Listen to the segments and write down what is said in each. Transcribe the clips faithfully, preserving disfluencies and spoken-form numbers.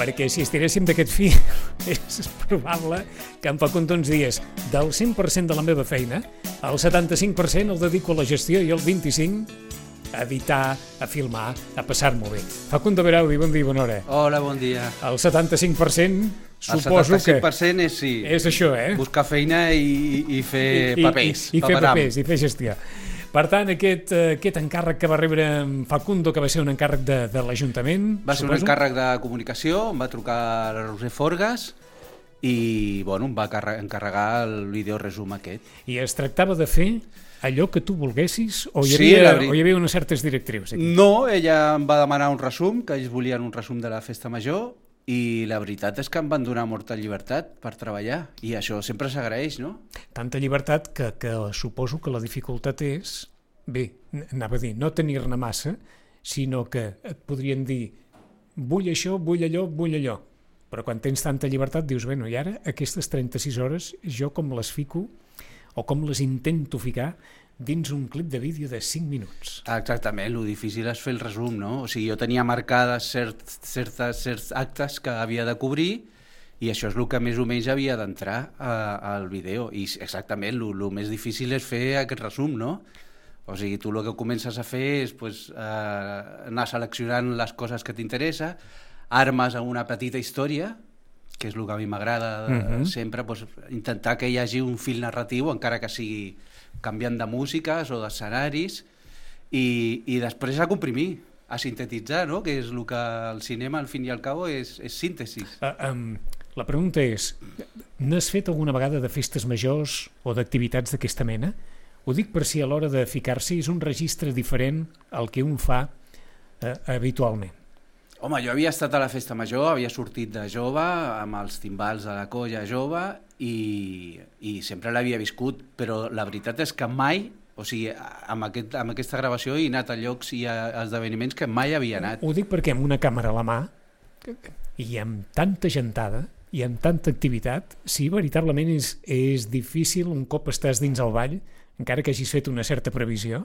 perquè si estiréssim d'aquest fi és probable que en Facundo ens dies del cent per cent de la meva feina, el setanta-cinc per cent el dedico a la gestió i el vint-i-cinc a editar, a filmar, a passar-m'ho bé. Facundo Beraudi, bon dia, bona hora. Hola, bon dia. El setanta-cinc per cent suposo que... El setanta-cinc per cent és, sí, és això, eh? Buscar feina i, i fer I, papers. I, i, i fer papers, i fer gestió. Per tant, aquest, aquest encàrrec que va rebre en Facundo, que va ser un encàrrec de, de l'Ajuntament... Va ser suposo? un encàrrec de comunicació, em va trucar la Roser Forgas i bueno, em va encarregar el videoresum aquest. I es tractava de fer allò que tu volguessis o hi sí, havia, o hi havia unes certes directrius aquí? No, ella em va demanar un resum, que ells volien un resum de la festa major, i la veritat és que em van donar molta llibertat per treballar, i això sempre s'agraeix, no? Tanta llibertat que, que suposo que la dificultat és, bé, anava a dir, no tenir-ne massa, sinó que et podrien dir vull això, vull allò, vull allò, però quan tens tanta llibertat dius, bueno, i ara aquestes trenta-sis hores jo com les fico o com les intento ficar dins un clip de vídeo de cinc minuts. Exactament, el difícil és fer el resum, no? O sigui, jo tenia marcades cert, certes, certs actes que havia de cobrir i això és el que més o menys havia d'entrar al vídeo. I exactament, el, el més difícil és fer aquest resum, no? O sigui, tu el que comences a fer és pues, eh, anar seleccionant les coses que t'interessa, armes a una petita història, que és el que a mi m'agrada uh-huh. sempre, pues, intentar que hi hagi un fil narratiu, encara que sigui canviant de músiques o d'escenaris, i, i després a comprimir, a sintetitzar, no? Que és el que el cinema, al fin i al cabo, és, és síntesis. Uh, um, la pregunta és, n'has fet alguna vegada de festes majors o d'activitats d'aquesta mena? Ho dic per si a l'hora de ficar-s'hi és un registre diferent al que un fa uh, habitualment. Home, jo havia estat a la festa major, havia sortit de jove, amb els timbals de la colla jove, i, i sempre l'havia viscut, però la veritat és que mai, o sigui, amb, aquest, amb aquesta gravació he anat a llocs i a esdeveniments que mai havia anat. Ho dic perquè amb una càmera a la mà, i amb tanta gentada, i amb tanta activitat, sí, veritablement és, és difícil un cop estàs dins el ball, encara que hagis fet una certa previsió,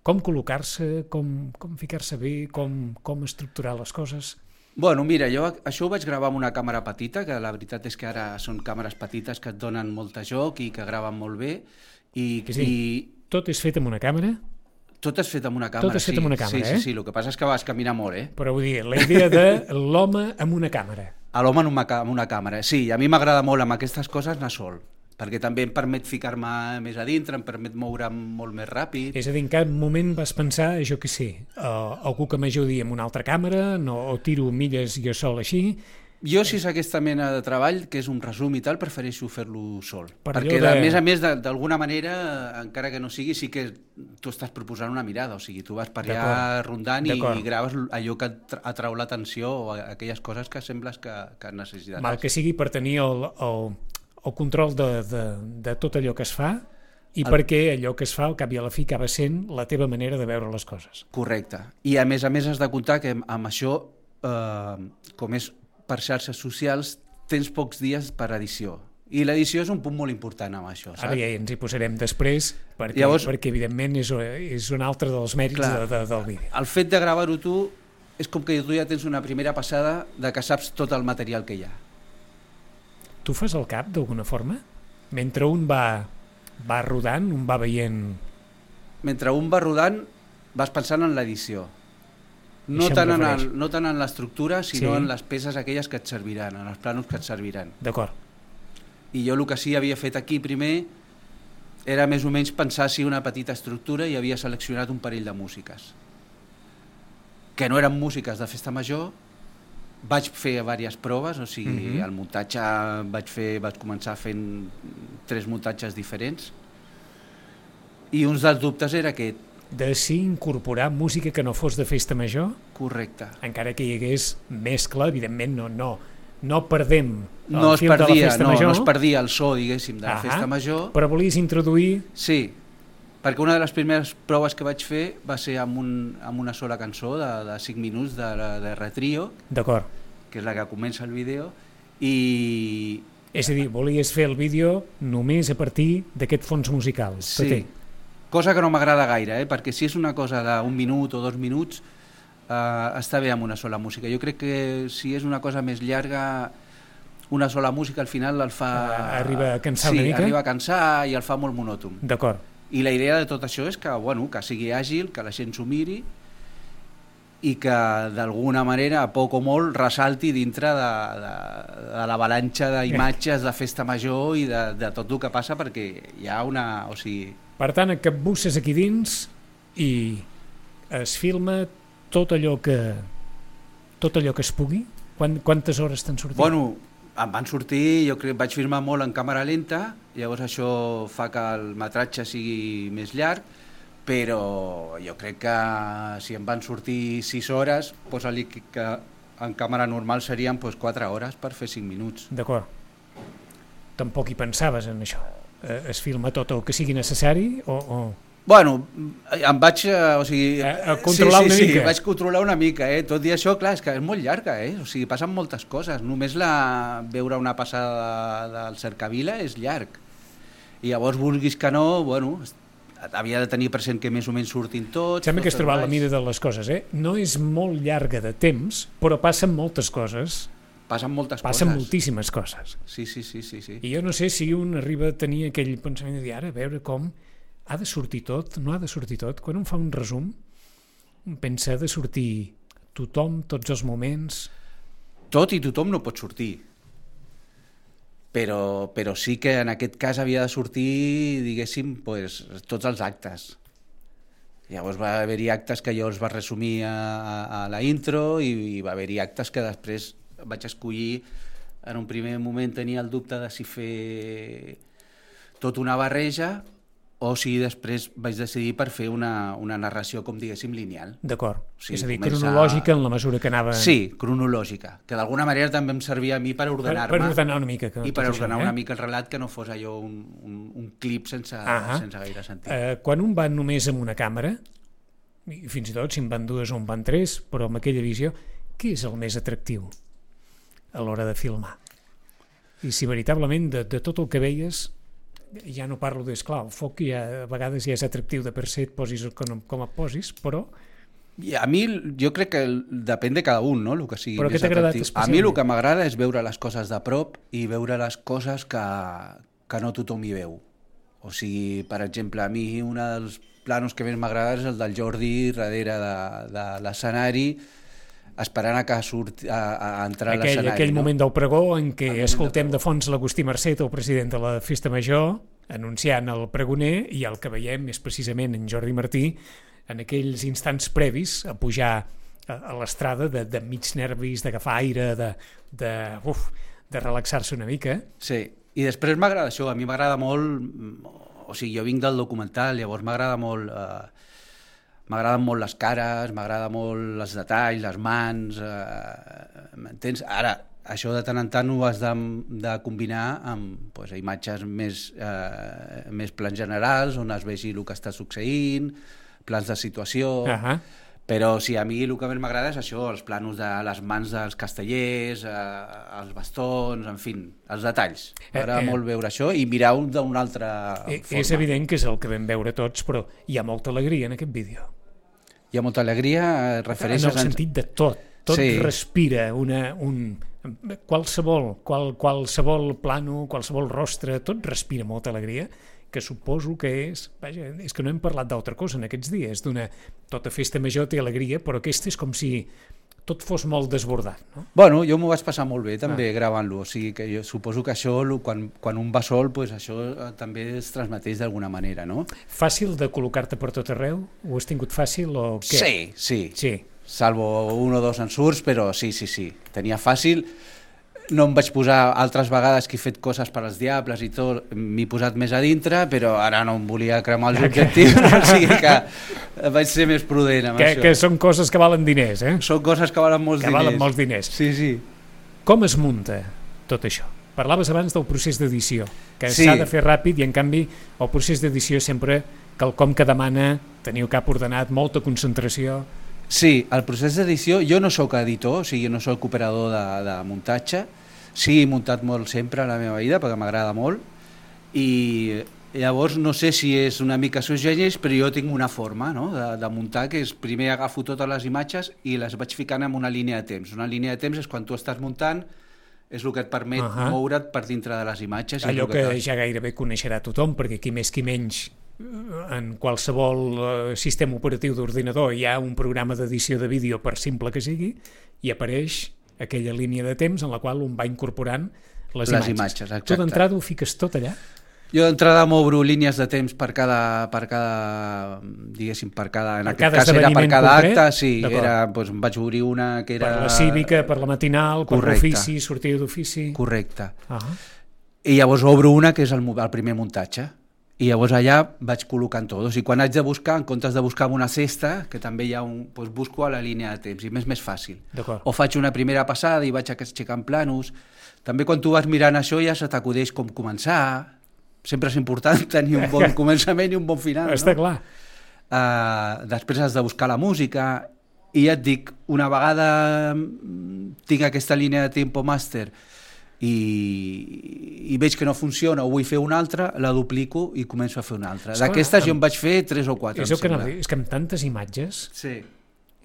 com col·locar-se, com, com ficar-se bé, com, com estructurar les coses? Bueno, mira, jo això ho vaig gravar amb una càmera petita, que la veritat és que ara són càmeres petites que et donen molt de joc i que graven molt bé. I, sí, i... Tot és fet amb una càmera? Tot és fet amb una càmera, Tot és fet amb una càmera, sí, eh? Sí, sí, el que passa és que vas caminar molt, eh? Però vull dir, la idea de l'home amb una càmera. A l'home amb una càmera, sí, a mi m'agrada molt amb aquestes coses anar sol, perquè també em permet ficar-me més a dintre, em permet moure'm molt més ràpid. És a dir, en cap moment vas pensar, jo què sé, uh, algú que m'ajudi amb una altra càmera, no, o tiro milles jo sol així? Jo, si és aquesta mena de treball, que és un resum i tal, prefereixo fer-lo sol. Per perquè, de... a més a més, d'alguna manera, encara que no sigui, sí que tu estàs proposant una mirada, o sigui, tu vas per allà rondant i, i graves allò que atrau l'atenció o aquelles coses que sembles que, que necessitaràs. Mal que sigui per tenir el... el... el control de, de, de tot allò que es fa i el... perquè allò que es fa al cap i a la fi acaba sent la teva manera de veure les coses. Correcte. I a més a més has de comptar que amb això, eh, com és per xarxes socials, tens pocs dies per edició. I l'edició és un punt molt important amb això, saps? Ara ja ens hi posarem després, perquè, Llavors, perquè evidentment és, és un altre dels mèrits clar, de, de, del vídeo. El fet de gravar-ho tu és com que tu ja tens una primera passada de que saps tot el material que hi ha. Tu fas el cap d'alguna forma? Mentre un va, va rodant, un va veient... Mentre un va rodant vas pensant en l'edició. No, tant en el, no tant en l'estructura, sinó sí. en les peces aquelles que et serviran, en els planos que et serviran. D'acord. I jo el que sí havia fet aquí primer era més o menys pensar si una petita estructura i havia seleccionat un parell de músiques. Que no eren músiques de festa major. Vaig fer diverses proves, o sigui, uh-huh. el muntatge vaig fer, vaig començar fent tres muntatges diferents i uns dels dubtes era aquest. De si incorporar música que no fos de festa major? Correcte. Encara que hi hagués mescla, evidentment no, no, no perdem el no fil perdia, de la festa no, major. No es perdia el so, diguéssim, de la uh-huh. festa major. Però volies introduir... Sí, perquè una de les primeres proves que vaig fer va ser amb, un, amb una sola cançó de, de cinc minuts de, de Retrio, d'acord, que és la que comença el vídeo, i... És a dir, volies fer el vídeo només a partir d'aquest fons musical. Sí, cosa que no m'agrada gaire, eh? Perquè si és una cosa d'un minut o dos minuts, uh, està bé amb una sola música. Jo crec que si és una cosa més llarga, una sola música al final el fa... Uh, arriba a cansar sí, una mica? Sí, arriba a cansar i el fa molt monòton. D'acord. I la idea de tot això és que, bueno, que sigui àgil, que la gent s'ho miri i que d'alguna manera, a poc o molt, ressalti dintre de, de, de l'avalanxa d'imatges de festa major i de, de tot el que passa, perquè hi ha una... O sigui... Per tant, et capbusses aquí dins i es filma tot allò que tot allò que es pugui? Quant, quantes hores t'han sortit? Bueno, em van sortir, jo crec, vaig filmar molt en càmera lenta, llavors això fa que el metratge sigui més llarg, però jo crec que si em van sortir sis hores, posa-li que en càmera normal serien doncs, quatre hores per fer cinc minuts. D'acord. Tampoc hi pensaves en això? Es filma tot el que sigui necessari o... o... Bueno, em vaig... O sigui, a, a controlar sí, sí, una sí, mica. Vaig controlar una mica, eh? Tot i això, clar, és que és molt llarga, eh? O sigui, passen moltes coses. Només la veure una passada del Cercavila és llarg. I llavors, vulguis que no, bueno, havia de tenir present que més o menys surtin tots. Sembla que has tots trobat la mida de les coses, eh? No és molt llarga de temps, però passen moltes coses. Passen moltes passen coses. moltíssimes coses. Sí, sí, sí, sí, sí. I jo no sé si un arriba a tenir aquell pensament de dir, ara, a veure com ha de sortir tot, no ha de sortir tot. Quan un fa un resum, pensa de sortir tothom, tots els moments... Tot i tothom no pot sortir. Però, però sí que en aquest cas havia de sortir, diguéssim, pues, tots els actes. Llavors va haver-hi actes que jo els va resumir a, a, a la intro i, i va haver-hi actes que després vaig escollir. En un primer moment tenia el dubte de si fer tot una barreja o si després vaig decidir per fer una, una narració, com diguéssim, lineal. D'acord, O sigui, és a dir, comença- cronològica en la mesura que anava... Sí, cronològica, que d'alguna manera també em servia a mi per per, ordenar-me per ordenar una mica. Que i per tot això, ordenar eh? una mica el relat, que no fos allò un, un, un clip sense, Ahà. sense gaire sentit. Eh, quan un va només amb una càmera, i fins i tot si en van dues o en van tres, però amb aquella visió, què és el més atractiu a l'hora de filmar? I si veritablement de, de tot el que veies, ja no parlo d'esclar, el foc ja, a vegades ja és atractiu de per se, et posis com, com et posis, però... I a mi, jo crec que depèn de cada un, no?, el que sigui Però què més t'ha agradat atractiu. A mi especialment? el que m'agrada és veure les coses de prop i veure les coses que, que no tothom hi veu. O sigui, per exemple, a mi un dels planos que més m'agrada és el del Jordi darrere de, de l'escenari, esperant a que surti, a, a entrar a aquell, l'escenari. aquell no? moment del pregó en què El moment escoltem del de fons l'Agustí Marcet, el president de la Festa Major, anunciant el pregoner, i el que veiem és precisament en Jordi Martí en aquells instants previs a pujar a, a l'estrada de, de mig nervis, d'agafar aire, de, de, uf, de relaxar-se una mica. Sí, i després m'agrada això, a mi m'agrada molt, o sigui, jo vinc del documental, llavors m'agrada molt, eh, m'agraden molt les cares, m'agrada molt els detalls, les mans, eh, m'entens? Ara, això de tant en tant ho has de, de combinar amb pues, imatges més, eh, més plans generals, on es vegi el que està succeint, plans de situació... Ahà. Però sí, a mi el que més m'agrada és això, els planos de les mans dels castellers, eh, els bastons, en fi, els detalls. M'agrada Eh, eh. molt veure això i mirar-ho d'una altra Eh, forma. és evident que és el que vam veure tots, però hi ha molta alegria en aquest vídeo. Hi ha molta alegria, eh, refereixes... En el sentit de tot. Tot Sí. respira una, un... Qualsevol, qual, qualsevol plano, qualsevol rostre, tot respira molta alegria, que suposo que és... Vaja, és que no hem parlat d'altra cosa en aquests dies, d'una... Tota festa major té alegria, però aquesta és com si tot fos molt desbordat, no? Bueno, jo m'ho vaig passar molt bé també Ah. gravant-lo, o sigui que jo suposo que això, lo- quan, quan un va sol, pues això eh, també es transmeteix d'alguna manera, no? Fàcil de col·locar-te per tot arreu? Ho has tingut fàcil o què? Sí, sí, Sí. salvo un o dos ensurts, però sí, sí, sí, tenia fàcil. No em vaig posar altres vegades que he fet coses per als diables i tot, m'he posat més a dintre, però ara no em volia cremar els objectius, o sigui que vaig ser més prudent amb Que, això. que són coses que valen diners, eh? Són coses que valen molts Que diners. valen molts diners. Sí, sí. Com es munta tot això? Parlaves abans del procés d'edició, que Sí. s'ha de fer ràpid i en canvi el procés d'edició és sempre quelcom que demana tenir el cap ordenat, molta concentració. Sí, el procés d'edició, jo no sóc editor, o sigui, no sóc operador de, de muntatge, sí, he muntat molt sempre a la meva vida perquè m'agrada molt i Llavors, no sé si és una mica seus gènies, però jo tinc una forma, no?, de, de muntar, que és primer agafo totes les imatges i les vaig ficant en una línia de temps. Una línia de temps és quan tu estàs muntant, és el que et permet uh-huh. moure't per dintre de les imatges. Allò que, que ja gairebé coneixerà tothom, perquè qui més qui menys en qualsevol uh, sistema operatiu d'ordinador hi ha un programa d'edició de vídeo, per simple que sigui, i apareix aquella línia de temps en la qual un va incorporant les, les imatges. imatges exacte. Tu d'entrada ho fiques tot allà? Jo d'entrada m'obro línies de temps per cada, per cada diguéssim, per cada, en per aquest cada cas era per cada concret? acte, sí, era, doncs, em vaig obrir una que era... Per la cívica, per la matinal, per l'ofici, sortida d'ofici... Correcte. Uh -huh. I llavors obro una que és el, el primer muntatge, i llavors allà vaig col·locant tot. O sigui, quan haig de buscar, en comptes de buscar una cesta, que també hi ha un... Doncs busco a la línia de temps, i m'és més fàcil. O faig una primera passada i vaig aixecant planos. També quan tu vas mirant això ja se t'acudeix com començar. Sempre és important tenir un bon començament i un bon final, no? Està clar. Uh, després has de buscar la música i ja et dic, una vegada tinc aquesta línia de tempo master i, i veig que no funciona o vull fer una altra, la duplico i començo a fer una altra. D'aquestes jo en vaig fer tres o quatre. És, que no, és que amb tantes imatges sí.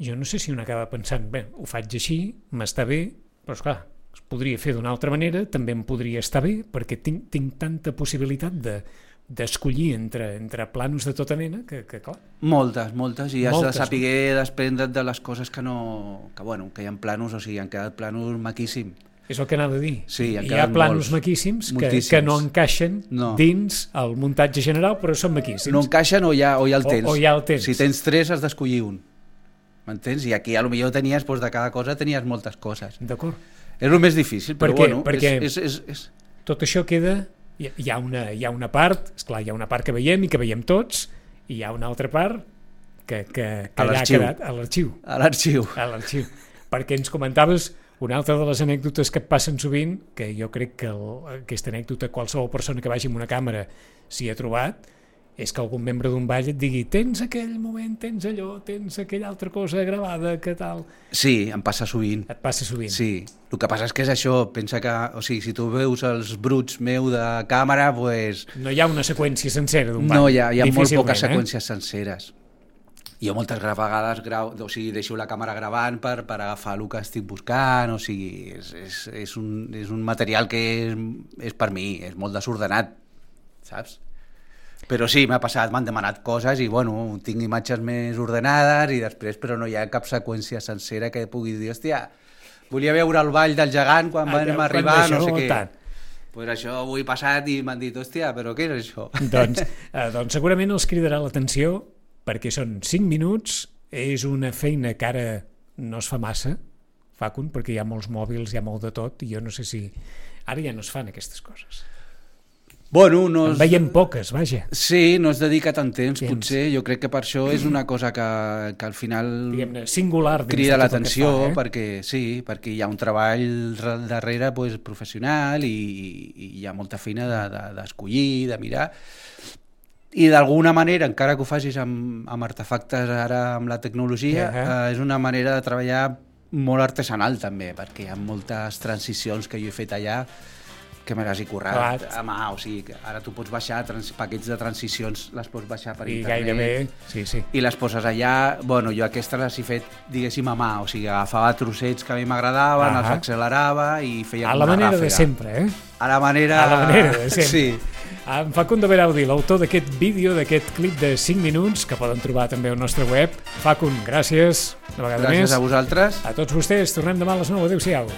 jo no sé si un acaba pensant, bé, ho faig així, m'està bé, però esclar, es podria fer d'una altra manera, també em podria estar bé, perquè tinc, tinc tanta possibilitat de d'escollir entre, entre planos de tota mena que, que clar... Moltes, moltes, i has moltes, de saber no? desprendre't de les coses que no... que bueno, que hi ha planos, o sigui, han quedat planos maquíssims. És el que anava a dir. Sí, hi ha planos molts, maquíssims que, que no encaixen no. dins el muntatge general, però són maquíssims. No encaixen o ja, o ja el tens. O, o ja el tens. Si tens tres has d'escollir un. M'entens? I aquí potser tenies, doncs, de cada cosa tenies moltes coses. D'acord. És el més difícil, però perquè, bueno, perquè és, és, és, és... tot això queda... Hi ha, una, hi ha una part, esclar, hi ha una part que veiem i que veiem tots, i hi ha una altra part que, que, que ja ha quedat a l'arxiu. A l'arxiu. A l'arxiu. Perquè ens comentaves una altra de les anècdotes que et passen sovint, que jo crec que el, aquesta anècdota qualsevol persona que vagi amb una càmera s'hi ha trobat, és que algun membre d'un ball et digui tens aquell moment, tens allò, tens aquella altra cosa gravada, que tal... Sí, em passa sovint. Et passa sovint. Sí, el que passa és que és això, pensa que, o sigui, si tu veus els bruts meu de càmera, pues... No hi ha una seqüència sencera d'un ball. No, hi ha, hi ha molt poques eh? seqüències senceres. Jo moltes vegades grau, o sigui, deixo la càmera gravant per, per agafar el que estic buscant, o sigui, és, és, és, un, és un material que és, és per mi, és molt desordenat, saps? Però sí, m'ha passat, m'han demanat coses i, bueno, tinc imatges més ordenades i després, però no hi ha cap seqüència sencera que pugui dir, hòstia, volia veure el ball del gegant quan ah, vam arribar, no sé què. Tant. Pues això avui passat i m'han dit, hòstia, però què és això? Doncs, eh, doncs segurament els cridarà l'atenció perquè són cinc minuts, és una feina que ara no es fa massa, Facun, perquè hi ha molts mòbils, hi ha molt de tot, i jo no sé si... Ara ja no es fan aquestes coses. Bueno, no es... En veiem poques, vaja. Sí, no es dedica tant temps, temps, potser. Jo crec que per això és una cosa que, que al final singular crida l'atenció, eh? perquè sí, perquè hi ha un treball darrere pues, professional i, i hi ha molta feina d'escollir, de, de, de mirar. I d'alguna manera, encara que ho facis amb, amb artefactes ara amb la tecnologia, uh-huh. eh, és una manera de treballar molt artesanal també, perquè hi ha moltes transicions que jo he fet allà que me les he currat Clar. a mà, o sigui, ara tu pots baixar trans, paquets de transicions, les pots baixar per I internet gairebé, sí, sí. i les poses allà, bueno, jo aquestes les he fet, diguéssim, a mà, o sigui, agafava trossets que a mi m'agradaven, uh-huh. els accelerava i feia a la manera ràfega. de sempre, eh? A la manera... A la manera de sempre. Sí. En Facundo Beraudy, l'autor d'aquest vídeo, d'aquest clip de cinc minuts, que poden trobar també al nostre web. Facun, gràcies, una vegada gràcies més. Gràcies a vosaltres. A tots vostès, tornem demà a les nou. Adéu-siau.